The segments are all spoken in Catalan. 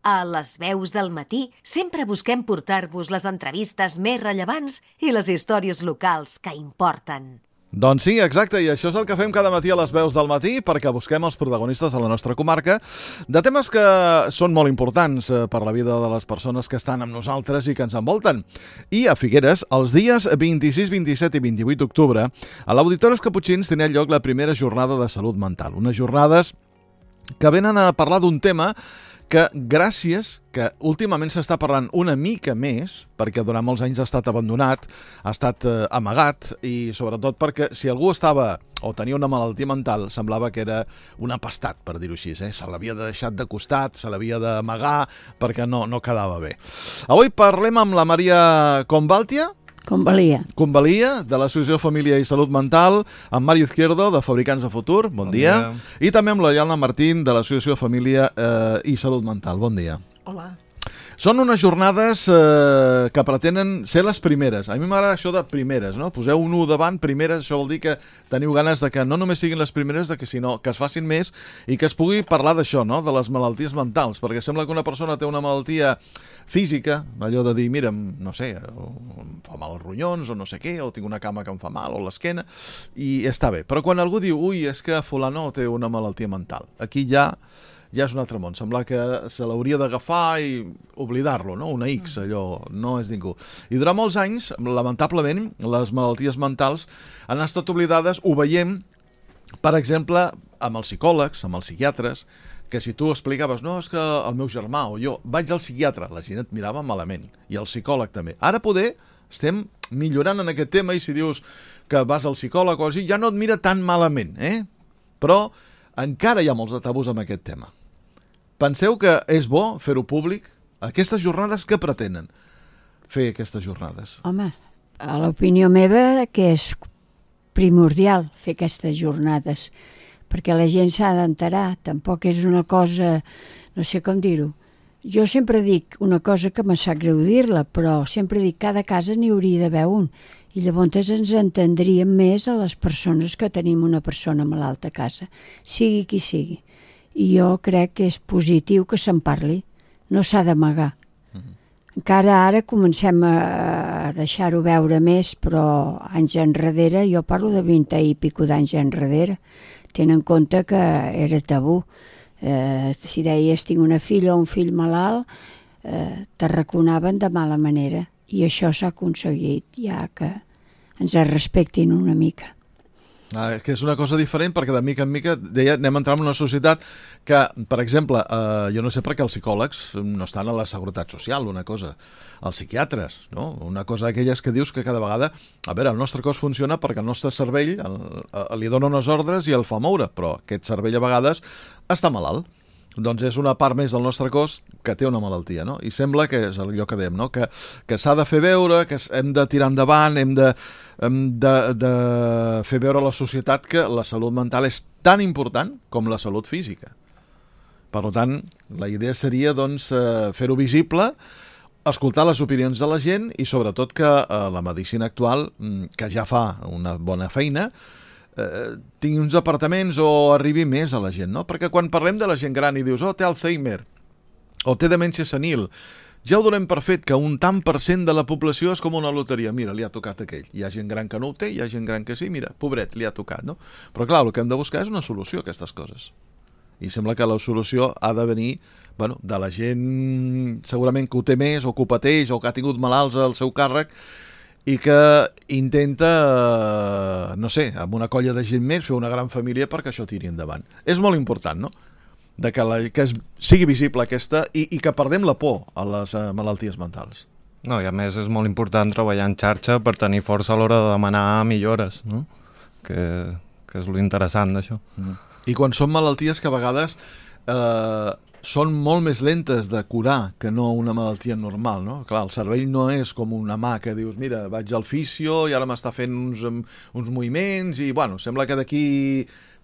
A Les Veus del Matí sempre busquem portar-vos les entrevistes més rellevants i les històries locals que importen. Doncs sí, exacte, i això és el que fem cada matí a Les Veus del Matí, perquè busquem els protagonistes de la nostra comarca de temes que són molt importants per la vida de les persones que estan amb nosaltres i que ens envolten. I a Figueres, els dies 26, 27 i 28 d'octubre, a l'Auditori Caputxins tenia lloc la primera jornada de salut mental. Unes jornades que venen a parlar d'un tema que que últimament s'està parlant una mica més, perquè durant molts anys ha estat abandonat, ha estat amagat, i sobretot perquè si algú estava o tenia una malaltia mental, semblava que era un apestat, per dir-ho així, se l'havia deixat de costat, se l'havia d'amagar, perquè no quedava bé. Avui parlem amb la Maria Convalia, de l'Associació Família i Salut Mental, amb Mario Izquierdo, de Fabricants de Futur, bon dia, i també amb la Yana Martín, de l'Associació Família i Salut Mental, bon dia. Hola. Són unes jornades que pretenen ser les primeres. A mi m'agrada això de primeres, no? Poseu un 1 davant, primeres, això vol dir que teniu ganes de que no només siguin les primeres, sinó que es facin més i que es pugui parlar d'això, no? De les malalties mentals, perquè sembla que una persona té una malaltia física, allò de dir, mira, no sé, em fa mal els ronyons o no sé què, o tinc una cama que em fa mal o l'esquena, i està bé. Però quan algú diu, ui, és que fulano té una malaltia mental, aquí ja és un altre món. Sembla que se l'hauria d'agafar i oblidar-lo, no? Una X, allò, no és ningú. I durant molts anys, lamentablement, les malalties mentals han estat oblidades. Ho veiem, per exemple, amb els psicòlegs, amb els psiquiatres, que si tu explicaves, no, és que el meu germà o jo vaig al psiquiatre, la gent et mirava malament, i el psicòleg també. Ara poder estem millorant en aquest tema, i si dius que vas al psicòleg o així, ja no et mira tan malament, Però encara hi ha molts de tabús amb aquest tema. Penseu que és bo fer-ho públic? Aquestes jornades, què pretenen fer aquestes jornades? Home, a l'opinió meva que és primordial fer aquestes jornades, perquè la gent s'ha d'enterar, tampoc és una cosa, no sé com dir-ho. Jo sempre dic una cosa que me sap greu dir-la, però sempre dic que cada casa n'hi hauria d'haver un, i llavors ens entendríem més a les persones que tenim una persona malalta a casa, sigui qui sigui. I jo crec que és positiu que se'n parli, no s'ha d'amagar. Encara ara comencem a deixar-ho veure més, però anys enrere, jo parlo de 20 i pico d'anys enrere, tenen en compte que era tabú. Si deies tinc una filla o un fill malalt, t'arraconaven de mala manera, i això s'ha aconseguit ja que ens respectin una mica. Que és una cosa diferent, perquè de mica en mica anem entrant en una societat que, per exemple, jo no sé per què els psicòlegs no estan a la Seguretat Social, una cosa, els psiquiatres, no? Una cosa d'aquelles que dius que cada vegada, a veure, el nostre cos funciona perquè el nostre cervell li dona unes ordres i el fa moure, però aquest cervell a vegades està malalt. Doncs és una part més del nostre cos que té una malaltia, no? I sembla que és allò que dèiem, no? Que s'ha de fer veure, que hem de tirar endavant, hem de fer veure a la societat que la salut mental és tan important com la salut física. Per tant, la idea seria doncs, fer-ho visible, escoltar les opinions de la gent i sobretot que la medicina actual, que ja fa una bona feina, tingui uns apartaments o arribi més a la gent, no? Perquè quan parlem de la gent gran i dius, té Alzheimer o té demència senil, ja ho donem per fet que un tant per cent de la població és com una loteria. Mira, li ha tocat aquell. Hi ha gent gran que no ho té, hi ha gent gran que sí, mira, pobret, li ha tocat, no? Però clar, el que hem de buscar és una solució a aquestes coses. I sembla que la solució ha de venir de la gent segurament que ho té més o que ho pateix o que ha tingut malalts al seu càrrec i que intenta, no sé, amb una colla de gent més fer una gran família perquè això tiri endavant. És molt important, no?, que sigui visible aquesta i que perdem la por a les malalties mentals. No, i a més és molt important treballar en xarxa per tenir força a l'hora de demanar millores, no? Que és l'interessant d'això. I quan són malalties que a vegades són molt més lentes de curar que no una malaltia normal, no? Clar, el cervell no és com una mà que dius, mira, vaig al fisio i ara m'està fent uns moviments i, sembla que d'aquí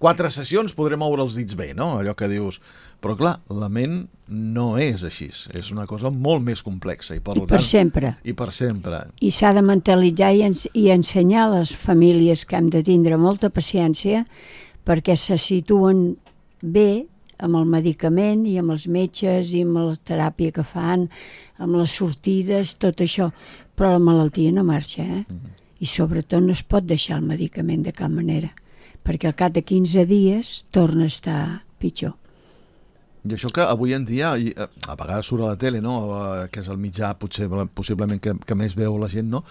4 sessions podré moure els dits bé, no? Allò que dius. Però, clar, la ment no és així. És una cosa molt més complexa. I per sempre. I per sempre. I s'ha de mentalitzar i ensenyar a les famílies que hem de tindre molta paciència perquè se situen bé amb el medicament i amb els metges i amb la teràpia que fan, amb les sortides, tot això. Però la malaltia no marxa, I sobretot no es pot deixar el medicament de cap manera, perquè al cap de 15 dies torna a estar pitjor. I això que avui en dia, a vegades surt a la tele, no? Que és el mitjà possiblement que més veu la gent, no?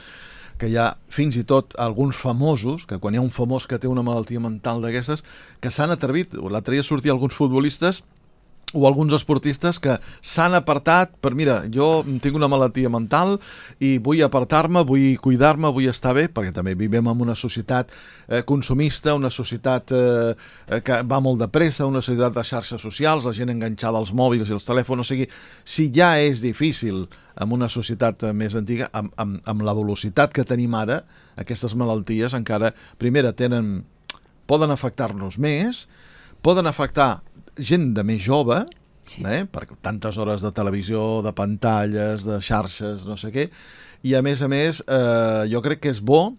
Que hi ha fins i tot alguns famosos, que quan hi ha un famós que té una malaltia mental d'aquestes, que s'han atrevit, l'altre dia sortia alguns futbolistes o alguns esportistes que s'han apartat per, mira, jo tinc una malaltia mental i vull apartar-me, vull cuidar-me, vull estar bé, perquè també vivim en una societat consumista, una societat que va molt de pressa, una societat de xarxes socials, la gent enganxada als mòbils i als telèfons, o sigui, si ja és difícil en una societat més antiga, amb la velocitat que tenim ara, aquestes malalties encara, primera, poden afectar-nos més, poden afectar gent de més jove, per tantes hores de televisió, de pantalles, de xarxes, no sé què, i a més, jo crec que és bo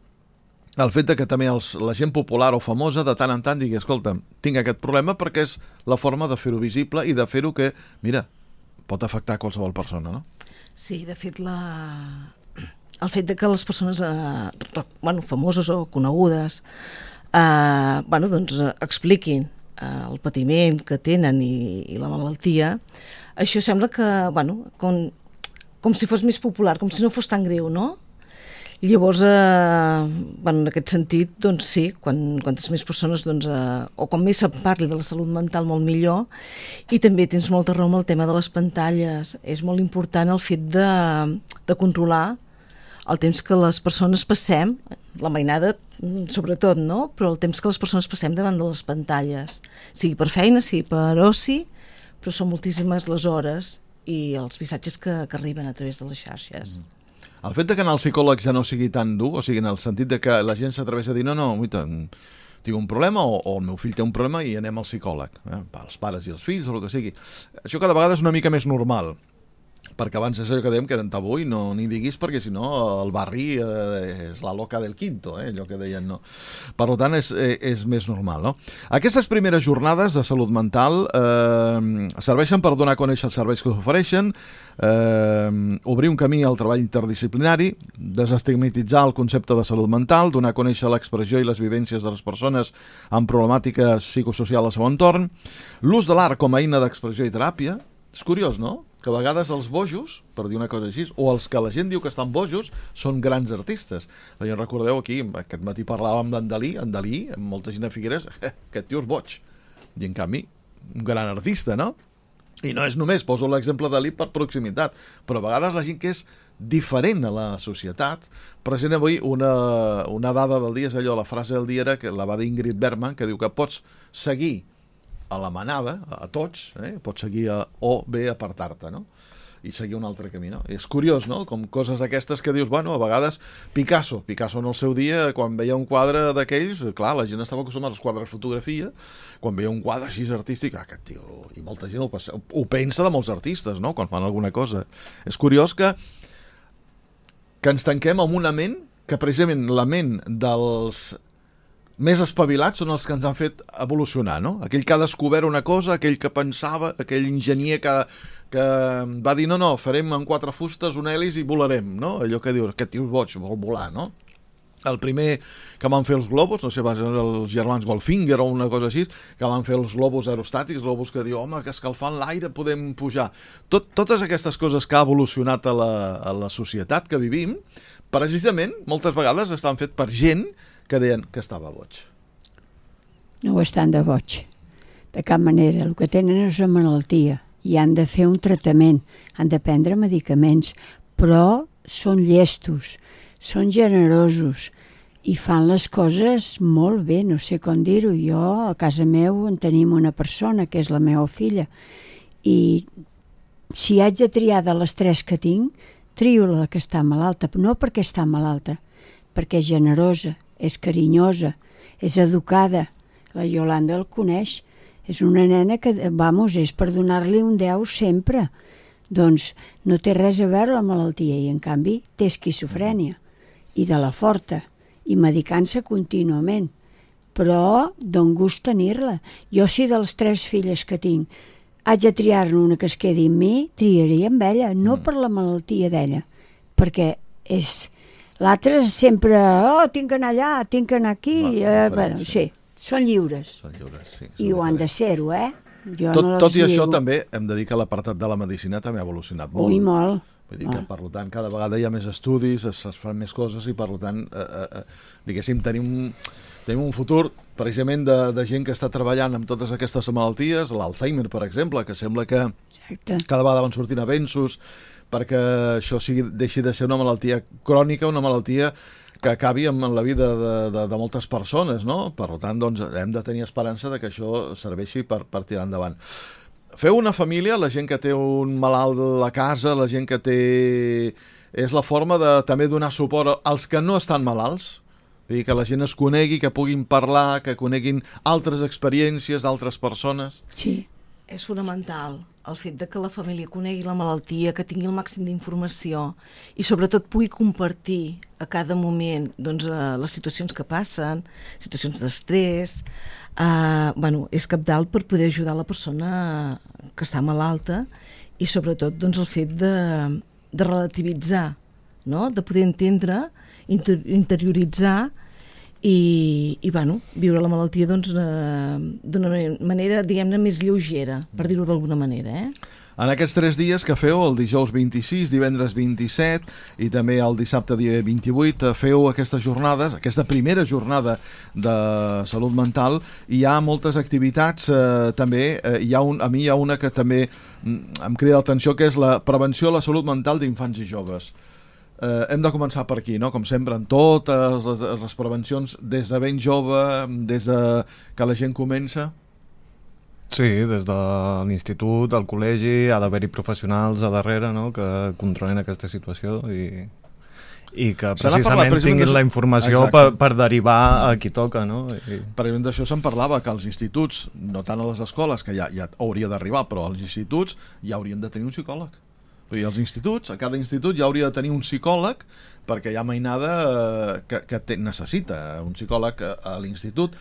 el fet que també la gent popular o famosa de tant en tant digui, escolta, tinc aquest problema, perquè és la forma de fer-ho visible i de fer-ho que, mira, pot afectar qualsevol persona, no? Sí, de fet, el fet que les persones famoses o conegudes expliquin el patiment que tenen i la malaltia, això sembla que, com si fos més popular, com si no fos tan greu, no? Llavors, en aquest sentit, doncs sí, quantes més persones, o com més se'n parli de la salut mental, molt millor, i també tens molta raó amb el tema de les pantalles. És molt important el fet de controlar el temps que les persones passem, la mainada sobretot, no? Però el temps que les persones passem davant de les pantalles, sigui per feina, sigui per oci, però són moltíssimes les hores i els missatges que arriben a través de les xarxes. El fet que anar al psicòleg ja no sigui tan dur, o sigui, en el sentit de que la gent s'atreveix a dir no, tinc un problema o el meu fill té un problema i anem al psicòleg, els pares i els fills o el que sigui. Això cada vegada és una mica més normal, perquè abans és allò que dèiem que eren tabú i no n'hi diguis perquè si no el barri és la loca del quinto, allò que deien, no? Per tant és més normal, no? Aquestes primeres jornades de salut mental serveixen per donar a conèixer els serveis que s'ofereixen, obrir un camí al treball interdisciplinari, desestigmatitzar el concepte de salut mental, donar a conèixer l'expressió i les vivències de les persones amb problemàtiques psicosocials al seu entorn, l'ús de l'art com a eina d'expressió i teràpia. És curiós, no? Que a vegades els bojos, per dir una cosa així, o els que la gent diu que estan bojos, són grans artistes. Ja recordeu aquí, aquest matí parlàvem d'en Dalí, molta gent a Figueres, aquest tio és boig. I en canvi, un gran artista, no? I no és només, poso l'exemple de Dalí per proximitat, però a vegades la gent que és diferent a la societat, present avui una dada del dia, és allò, la frase del dia era, que la va dir Ingrid Bergman, que diu que pots seguir a la manada, a tots, pots seguir o bé apartar-te, no? I seguir un altre camí, no? I és curiós, no? Com coses aquestes que dius, a vegades Picasso en el seu dia, quan veia un quadre d'aquells, clar, la gent estava acostumada als quadres de fotografia, quan veia un quadre així artístic, aquest tio, i molta gent ho pensa de molts artistes, no?, quan fan alguna cosa. És curiós que ens tanquem amb una ment, que precisament la ment dels més espavilats són els que ens han fet evolucionar, no? Aquell que ha descobert una cosa, aquell que pensava, aquell enginyer que va dir no, farem amb 4 fustes un hèlice i volarem, no? Allò que dius, aquest tio és boig, vol volar, no? El primer que van fer els globus, no sé, van ser els germans Goldfinger o una cosa així, que van fer els globus aerostàtics, globus que diu, home, que escalfant l'aire podem pujar. Totes aquestes coses que ha evolucionat a la societat que vivim, precisament, moltes vegades estan fet per gent que deien que estava boig. No ho estan de boig, de cap manera. El que tenen és una malaltia i han de fer un tractament, han de prendre medicaments, però són llestos, són generosos i fan les coses molt bé, no sé com dir-ho. Jo, a casa meu, en tenim una persona, que és la meva filla, i si haig de triar de les 3 que tinc, trio la que està malalta, no perquè està malalta, perquè és generosa, és carinyosa, és educada. La Yolanda el coneix. És una nena que, és per donar-li un 10 sempre. Doncs no té res a veure la malaltia i, en canvi, té esquizofrènia. I de la forta. I medicant-se contínuament. però don gust tenir-la. Jo, si de les 3 filles que tinc haig de triar-ne una que es quedi amb mi, triaria amb ella, no per la malaltia d'ella, perquè és... L'altre sempre, tinc que anar allà, tinc que anar aquí... Bueno, sí, són lliures. Són lliures, sí. I ho han de ser-ho, Jo Tot i això, també, hem de dir que l'apartat de la medicina també ha evolucionat molt. Ui, molt. Vull dir que, per tant, cada vegada hi ha més estudis, es fan més coses i, per tant, diguéssim, tenim un futur, precisament, de gent que està treballant amb totes aquestes malalties, l'Alzheimer, per exemple, que sembla que cada vegada van sortint avenços perquè això deixi de ser una malaltia crònica, una malaltia que acabi amb la vida de moltes persones, no? Per tant, doncs, hem de tenir esperança de que això serveixi per tirar endavant. Feu una família, la gent que té un malalt a la casa, la gent que té... És la forma de també donar suport als que no estan malalts? Vull dir, que la gent es conegui, que puguin parlar, que coneguin altres experiències d'altres persones? Sí. És fonamental el fet de que la família conegui la malaltia, que tingui el màxim d'informació i sobretot pugui compartir a cada moment doncs, les situacions que passen, situacions d'estrès. És cabdal per poder ajudar la persona que està malalta i sobretot doncs, el fet de relativitzar, no? De poder entendre, interioritzar i viure la malaltia doncs, d'una manera, diguem-ne, més lleugera, per dir-ho d'alguna manera. En aquests 3 dies que feu, el dijous 26, divendres 27 i també el dissabte dia 28, feu aquestes jornades, aquesta primera jornada de salut mental, i hi ha moltes activitats també. A mi hi ha una que també em crida l'atenció, que és la prevenció de la salut mental d'infants i joves. Hem de començar per aquí, no? Com sempre, en totes les prevencions, des de ben jove, des de que la gent comença. Sí, des de l'institut, al col·legi, ha d'haver-hi professionals a darrere, no?, que controlin aquesta situació i que precisament tinguin la informació per derivar a qui toca, no? Per exemple, d'això se'n parlava, que als instituts, no tant a les escoles, que ja hauria d'arribar, però als instituts ja haurien de tenir un psicòleg. Vull dir, als instituts, a cada institut ja hauria de tenir un psicòleg, perquè hi ha mainada que necessita un psicòleg a l'institut.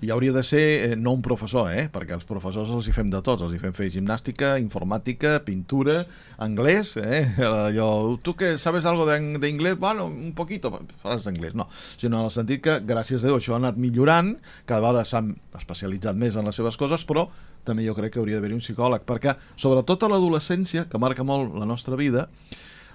I hauria de ser no un professor, perquè els professors els hi fem de tots, els hi fem fer gimnàstica, informàtica, pintura, anglès, allò, tu que sabes algo de inglés? Bueno, un poquito, faràs d'anglès, no, sinó en el sentit que, gràcies a Déu, això ha anat millorant, cada vegada s'han especialitzat més en les seves coses, però també jo crec que hauria d'haver-hi un psicòleg, perquè sobretot a l'adolescència, que marca molt la nostra vida,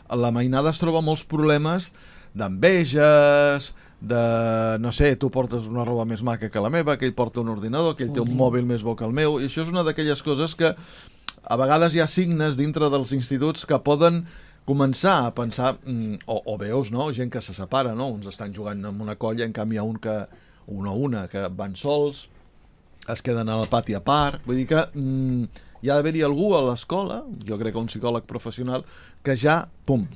la mainada es troba molts problemes d'enveges, no sé, tu portes una roba més maca que la meva, que ell porta un ordinador, que ell té un mòbil més bo que el meu, i això és una d'aquelles coses que a vegades hi ha signes dintre dels instituts que poden començar a pensar, o veus, no?, gent que se separa, no?, uns estan jugant en una colla, en canvi hi ha una que van sols, es queden al pati a part, vull dir que hi ha d'haver-hi algú a l'escola, jo crec que un psicòleg professional, que ja,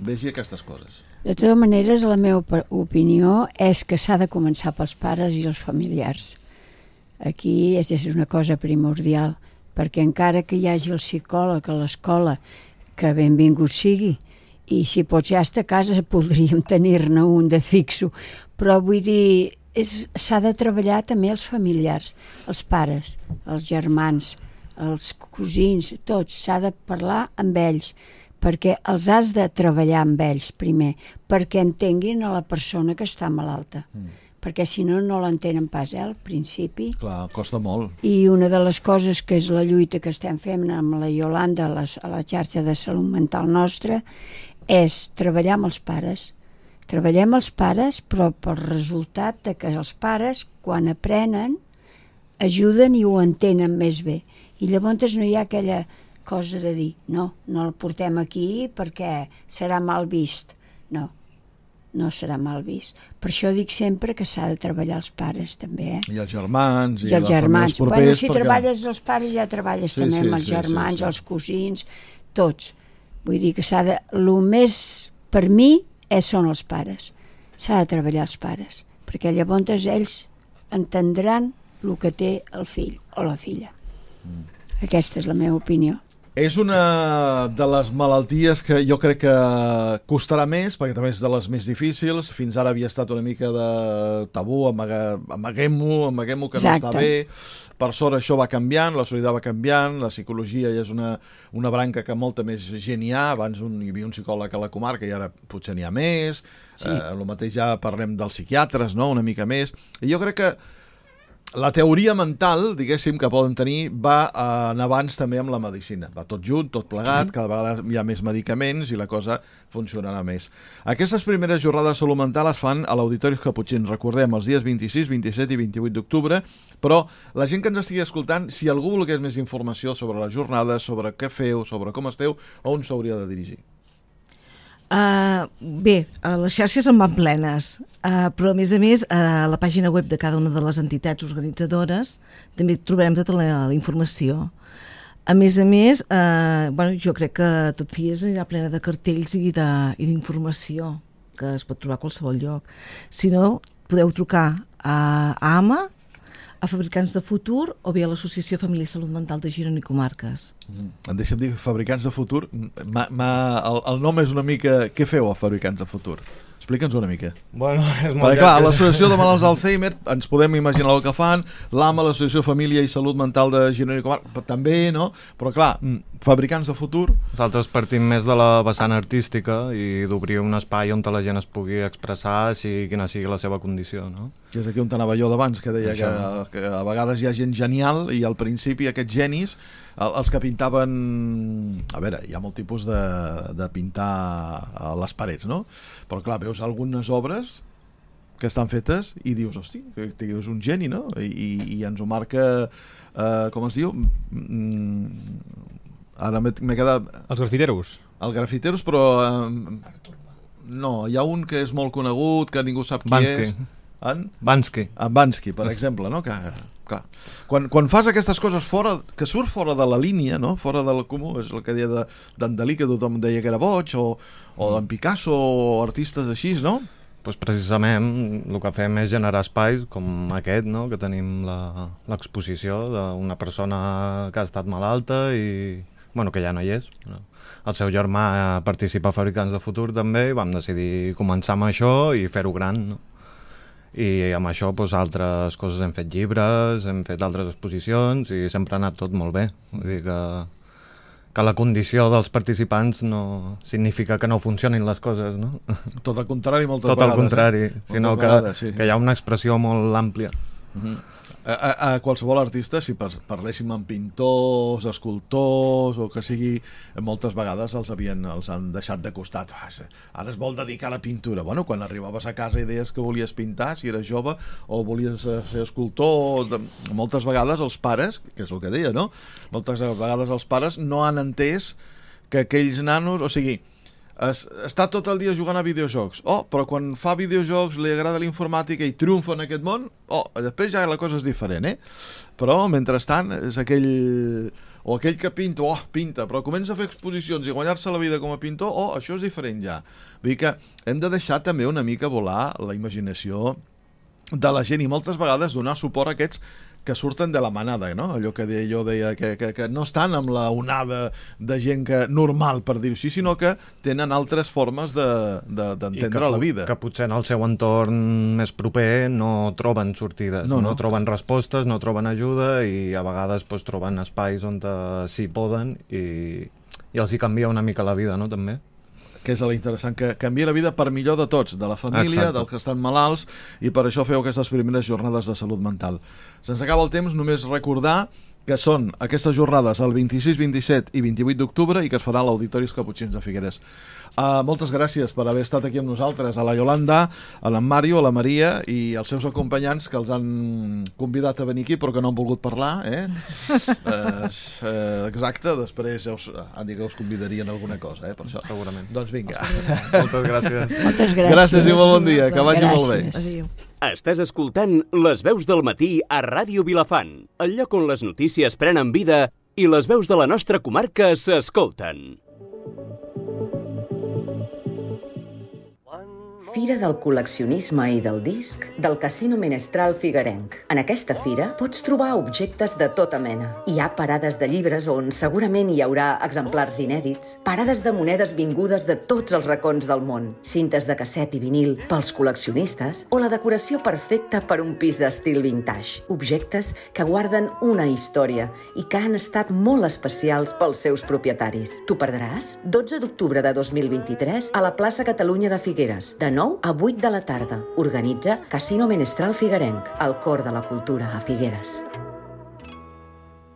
vegi aquestes coses. De totes maneres, la meva opinió és que s'ha de començar pels pares i els familiars. Aquí és una cosa primordial, perquè encara que hi hagi el psicòleg a l'escola, que benvingut sigui, i si pot ja estar a casa podríem tenir-ne un de fixo, però vull dir, s'ha de treballar també els familiars, els pares, els germans, els cosins, tots, s'ha de parlar amb ells, perquè els has de treballar amb ells primer, perquè entenguin a la persona que està malalta. Perquè si no, no l'entenen pas, al principi. Clar, costa molt. I una de les coses que és la lluita que estem fent amb la Iolanda a la xarxa de salut mental nostra és treballar amb els pares. Treballem els pares, però pel resultat de que els pares, quan aprenen, ajuden i ho entenen més bé. I llavors no hi ha aquella cosa de dir, no el portem aquí perquè serà mal vist. No serà mal vist. Per això dic sempre que s'ha de treballar els pares també. I els germans, i els germans. Bueno, si treballes els pares ja treballes també amb els germans, els cosins, tots. Vull dir que s'ha de... El més, per mi, són els pares. S'ha de treballar els pares, perquè llavors ells entendran el que té el fill o la filla. Aquesta és la meva opinió. És una de les malalties que jo crec que costarà més, perquè també és de les més difícils. Fins ara havia estat una mica de tabú, amaguem-ho, que no està bé. Per sort això va canviant, la societat va canviant, la psicologia ja és una branca que molta més gent hi ha. Abans hi havia un psicòleg a la comarca i ara potser n'hi ha més. Sí. El mateix ja parlem dels psiquiatres, no? Una mica més. I jo crec que la teoria mental, diguéssim, que poden tenir va en abans també amb la medicina. Va tot junt, tot plegat, cada vegada hi ha més medicaments i la cosa funcionarà més. Aquestes primeres jornades de salut mental es fan a l'Auditori Caputxins, recordem, els dies 26, 27 i 28 d'octubre, però la gent que ens estigui escoltant, si algú volgués més informació sobre les jornades, sobre què feu, sobre com esteu, on s'hauria de dirigir? Bé, les xarxes en van plenes, però a més a la pàgina web de cada una de les entitats organitzadores també trobarem tota la informació. A més, jo crec que Tot Fies anirà plena de cartells i d'informació que es pot trobar a qualsevol lloc. Si no, podeu trucar a AMA, a Fabricants de Futur o bé a l'Associació Família i Salut Mental de Girona i Comarques. Deixa'm dir, Fabricants de Futur, el nom és una mica... Què feu a Fabricants de Futur? Explica'ns una mica. Bueno, és molt perquè, clar, l'Associació de Malalts d'Alzheimer, ens podem imaginar el que fan, l'AMA, l'Associació Família i Salut Mental de Girona i Comarques, també, no? Però, clar, Fabricants de Futur... Nosaltres partim més de la vessant artística i d'obrir un espai on la gent es pugui expressar quina sigui la seva condició, no? Que és aquí on anava jo d'abans, que deia que a vegades hi ha gent genial i al principi aquests genis, els que pintaven... A veure, hi ha molt tipus de pintar a les parets, no? Però clar, veus algunes obres que estan fetes i dius, hosti, que és un geni, no? I ens ho marca, com es diu? Ara m'he quedat... Els grafiteros. Els grafiteros, però... No, hi ha un que és molt conegut, que ningú sap qui és. Bansky. En Bansky, per exemple, no? Que, clar, quan fas aquestes coses que surt fora de la línia, no? Fora del comú, és el que deia d'en Dalí, que tothom deia que era boig, o d'en Picasso, o artistes així, no? Pues precisament el que fem és generar espais com aquest, no? Que tenim l'exposició d'una persona que ha estat malalta i que ja no hi és. El seu germà participa a Fabricants de Futur també i vam decidir començar amb això i fer-ho gran, no? I amb això altres coses, hem fet llibres, hem fet altres exposicions i sempre ha anat tot molt bé. Vull dir que la condició dels participants no significa que no funcionin les coses, no? Tot el contrari, moltes vegades. Tot el contrari, sinó que hi ha una expressió molt àmplia. A qualsevol artista, si parléssim amb pintors, escultors o que sigui, moltes vegades els han deixat de costat. Ara es vol dedicar a la pintura. Bueno, quan arribaves a casa i deies que volies pintar, si eres jove, o volies ser escultor, moltes vegades els pares, que és el que deia, no? Moltes vegades els pares no han entès que aquells nanos, o sigui, està tot el dia jugant a videojocs, però quan fa videojocs li agrada la informàtica i triomfa en aquest món, després ja la cosa és diferent, però mentrestant és aquell que pinta, però comença a fer exposicions i guanyar-se la vida com a pintor, això és diferent ja. Vull dir que hem de deixar també una mica volar la imaginació de la gent i moltes vegades donar suport a aquests que surten de la manada, no? Allò que jo deia, que no estan amb la onada de gent normal, per dir-ho així, sinó que tenen altres formes d'entendre la vida. Que potser en el seu entorn més proper no troben sortides, no troben respostes, no troben ajuda i a vegades troben espais on sí poden i els hi canvia una mica la vida, no? També. Que és l'interessant, que canvia la vida per millor de tots, de la família, dels que estan malalts, i per això feu aquestes primeres jornades de salut mental. Se'ns acaba el temps, només recordar que són aquestes jornades el 26, 27 i 28 d'octubre i que es farà a l'Auditori Caputxins de Figueres. Moltes gràcies per haver estat aquí amb nosaltres, a la Yolanda, a l'en Mario, a la Maria i als seus acompanyants que els han convidat a venir aquí però que no han volgut parlar, exacte, després han dit que us convidarien a alguna cosa, per això. Segurament. Doncs vinga. Moltes gràcies. Moltes gràcies. Gràcies i molt bon dia, que vagi molt bé. Adéu. Estàs escoltant Les veus del matí a Ràdio Vilafant, el lloc on les notícies prenen vida i les veus de la nostra comarca s'escolten. Fira del col·leccionisme i del disc del Casino Menestral Figuerenc. En aquesta fira pots trobar objectes de tota mena. Hi ha parades de llibres on segurament hi haurà exemplars inèdits, parades de monedes vingudes de tots els racons del món, cintes de casset i vinil pels col·leccionistes o la decoració perfecta per un pis d'estil vintage. Objectes que guarden una història i que han estat molt especials pels seus propietaris. T'ho perdràs? 12 d'octubre de 2023 a la plaça Catalunya de Figueres, de 9 a 8 de la tarda. Organitza Casino Menestral Figuerenc, el cor de la cultura a Figueres.